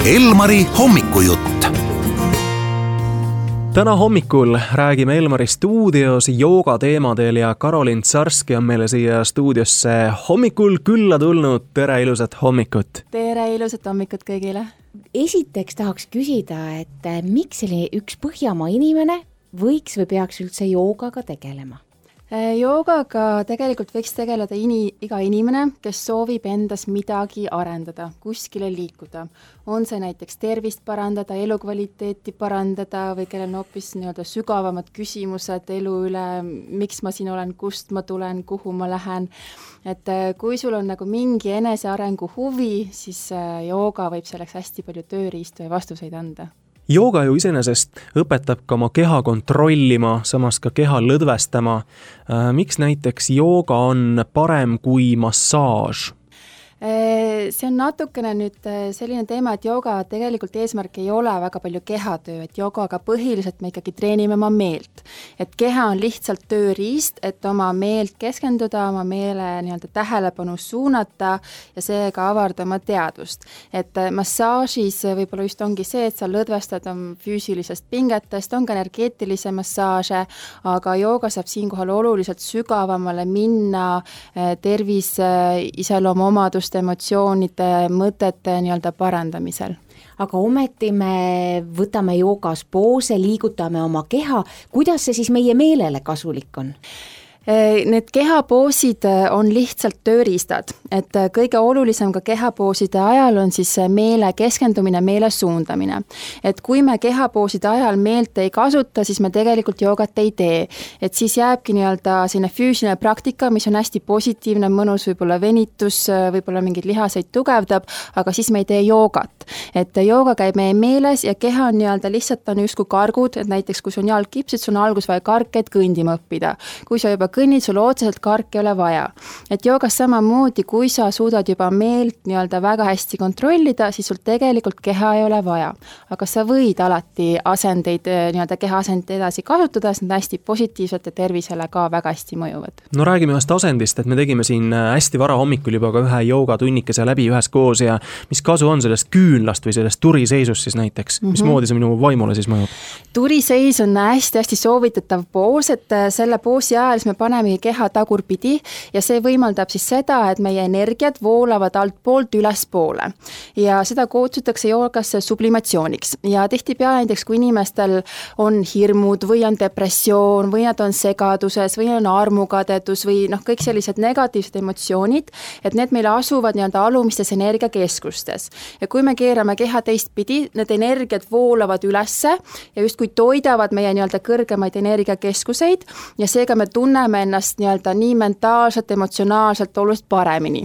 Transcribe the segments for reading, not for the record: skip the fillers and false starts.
Elmari hommikujutt. Täna hommikul räägime Elmari stuudios jooga teemadel ja Karolin Tsarski on meile siia stuudiosse hommikul külla tulnud. Tere, ilusat hommikut! Tere, ilusat hommikut kõigile! Esiteks tahaks küsida, et miks selline üks Põhjamaa inimene võiks või peaks üldse joogaga tegelema? Joogaga tegelikult võiks tegeleda iga inimene, kes soovib endas midagi arendada, kuskile liikuda. On see näiteks tervist parandada, elukvaliteeti parandada või kellel on hoopis sügavamad küsimused elu üle, miks ma siin olen, kust ma tulen, kuhu ma lähen. Et kui sul on mingi enesearengu huvi, siis jooga võib selleks hästi palju tööriistu ja vastuseid anda. Jooga ju iseenesest õpetab ka oma keha kontrollima, samas ka keha lõdvestama. Miks näiteks jooga on parem kui massaaž? See on natukene nüüd selline teema, et jooga tegelikult eesmärk ei ole väga palju kehatöö, et joogaga põhiliselt me ikkagi treenime oma meelt. Et keha on lihtsalt tööriist, et oma meelt keskenduda, oma meele tähelepanu suunata ja seega avardada oma teadvust. Et massaažis võib-olla just ongi see, et sa lõdvestad füüsilisest pingetest, on ka energeetilise massaaže, aga jooga saab siinkohal oluliselt sügavamale minna tervis iseloomu omaduste, emotsioonide, mõtete parandamisel. Aga ometi me võtame joogas poose, liigutame oma keha. Kuidas see siis meie meelele kasulik on? Need kehapoosid on lihtsalt tööriistad, et kõige olulisem ka kehapooside ajal on siis meele keskendumine, meele suundamine. Et kui me kehapooside ajal meelt ei kasuta, siis me tegelikult joogat ei tee. Et siis jääbki selline füüsiline praktika, mis on hästi positiivne, mõnus, võib-olla venitus, võib-olla mingid lihaseid tugevdab, aga siis me ei tee joogat. Et jooga käib meie meeles ja keha on lihtsalt on justkui kargud, et näiteks kui sul on jalg kipsid, sul on algus vaja karke, et kõndima õppida. Kui sa juba kõnnid, sul otseselt karke ei ole vaja. Et joogas samamoodi, kui sa suudad juba meelt väga hästi kontrollida, siis sul tegelikult keha ei ole vaja. Aga sa võid alati asendeid, keha asendeid edasi kasutada, sest nad hästi positiivselt ja tervisele ka väga hästi mõjuvad. No räägime ühest asendist, et me tegime siin hästi vara hommikul juba ka ühe joogatunnikese läbi üheskoos ja mis kasu on sellest küünlast või sellest turiseisust siis näiteks? Mismoodi see minu vaimule siis mõjub? Turiseis on hästi soovitatav poos, et selle poosi ajal me paneme keha tagurpidi ja see võimaldab siis seda, et meie energiat voolavad altpoolt ülespoole. Ja seda kutsutakse joogasse sublimatsiooniks. Ja tihtipeale näiteks, kui inimestel on hirmud või on depressioon või nad on segaduses või on armukadedus või kõik sellised negatiivsed emotsioonid, et need meile asuvad alumistes energiakeskustes. Ja kui me keerame keha teistpidi, need energiat voolavad ülesse ja justkui toidavad meie kõrgemaid energiakeskuseid ja seega me tunneme ennast nii mentaalselt, emotsionaalselt oluliselt paremini.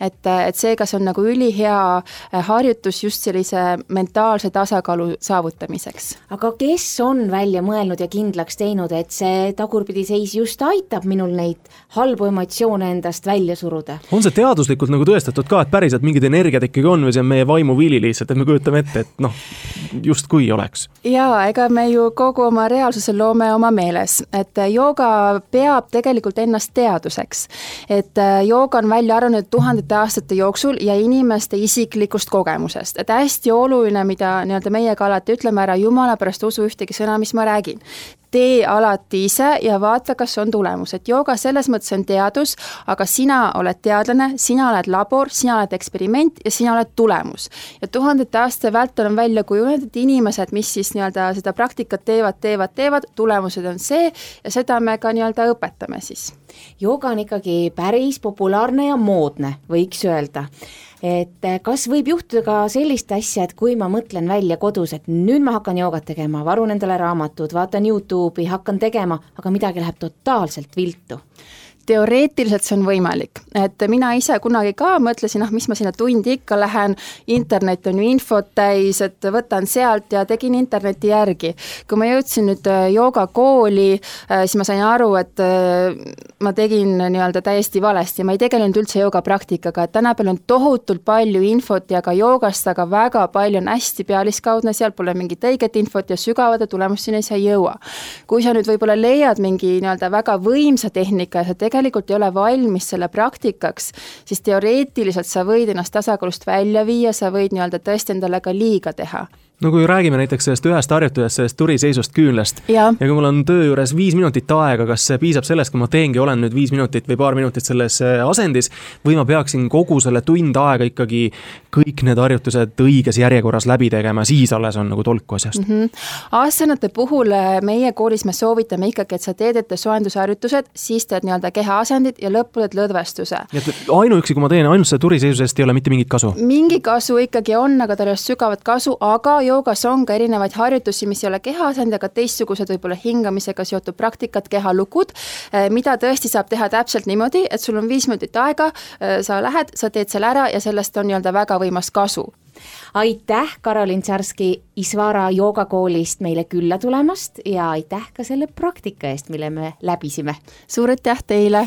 Et seega see on ülihea harjutus just sellise mentaalse tasakaalu saavutamiseks. Aga kes on välja mõelnud ja kindlaks teinud, et see tagurpidiseis just aitab minul neid halbu emotsioone endast välja suruda? On see teaduslikult tõestatud ka, et päriselt mingid energiat ikkagi on või see on meie vaimu vili lihtsalt, et me kujutame ette, et just kui oleks? Jaa, ega me ju kogu oma reaalsuse loome oma meeles, et jooga peab tegelikult ennast teaduseks. Et jooga on välja arenenud tuhandete aastate jooksul ja inimeste isiklikust kogemusest. Et hästi oluline, mida meiega alati ütleme ära, jumala pärast usu ühtegi sõna, mis ma räägin. Tee alati ise ja vaata, kas on tulemus. Et jooga selles mõttes on teadus, aga sina oled teadlane, sina oled labor, sina oled eksperiment ja sina oled tulemus. Ja tuhandete aastate vältel on välja kujunenud, et inimesed, mis siis seda praktikat teevad, tulemused on see ja seda me ka õpetame siis. Jooga on ikkagi päris populaarne ja moodne, võiks öelda. Et kas võib juhtuda ka sellist asja, et kui ma mõtlen välja kodus, et nüüd ma hakkan joogat tegema, varun endale raamatud, vaatan YouTube'i, hakkan tegema, aga midagi läheb totaalselt viltu? Teoreetiliselt see on võimalik, et mina ise kunagi ka mõtlesin, mis ma sinna tundi ikka lähen, internet on ju infot täis, et võtan sealt ja tegin interneti järgi. Kui ma jõudsin nüüd joogakooli, siis ma sain aru, et ma tegin täiesti valesti ja ma ei tegelenud üldse joogapraktikaga, et tänapäeval on tohutult palju infot ja ka joogast, aga väga palju on hästi pealiskaudne, seal pole mingit õiget infot ja sügavade tulemusteni sa ei jõua. Kui sa nüüd võib-olla leiad mingi väga võimsa tehnika ja sa tegelikult tegelikult ei ole valmis selle praktikaks, siis teoreetiliselt sa võid ennast tasakaalust välja viia, sa võid nii-öelda tõesti endale ka liiga teha. No kui räägime näiteks sellest ühest harjutusest, sellest turiseisust küünlast ja kui mul on töö juures 5 minutit aega, kas see piisab sellest, kui ma teengi, olen nüüd 5 minutit või paar minutit selles asendis või ma peaksin kogu selle tund aega ikkagi kõik need harjutused õiges järjekorras läbi tegema, siis alles on nagu tolku asjast? Aastanute puhul meie koolis me soovitame ikkagi, et sa teed ette soojendusharjutused, siis teed nii-öelda kehaasendid ja lõppu teed lõdvestuse. Ainuüksi, kui ma teen ainult selle turiseisusest, ei ole mitte mingit kasu? Mingi kasu ikkagi on, aga tal ei ole sügavat kasu, aga joogas on ka erinevaid harjutusi, mis ei ole kehaasend, aga teistsugused võib-olla hingamisega seotud praktikad, kehalukud, mida tõesti saab teha täpselt niimoodi, et sul on 5 minutit aega, sa lähed, sa teed selle ära ja sellest on nii-öelda väga võimas kasu. Aitäh, Karolin Tsarski Isvara joogakoolist meile külla tulemast ja aitäh ka selle praktika eest, mille me läbisime. Suur aitäh teile!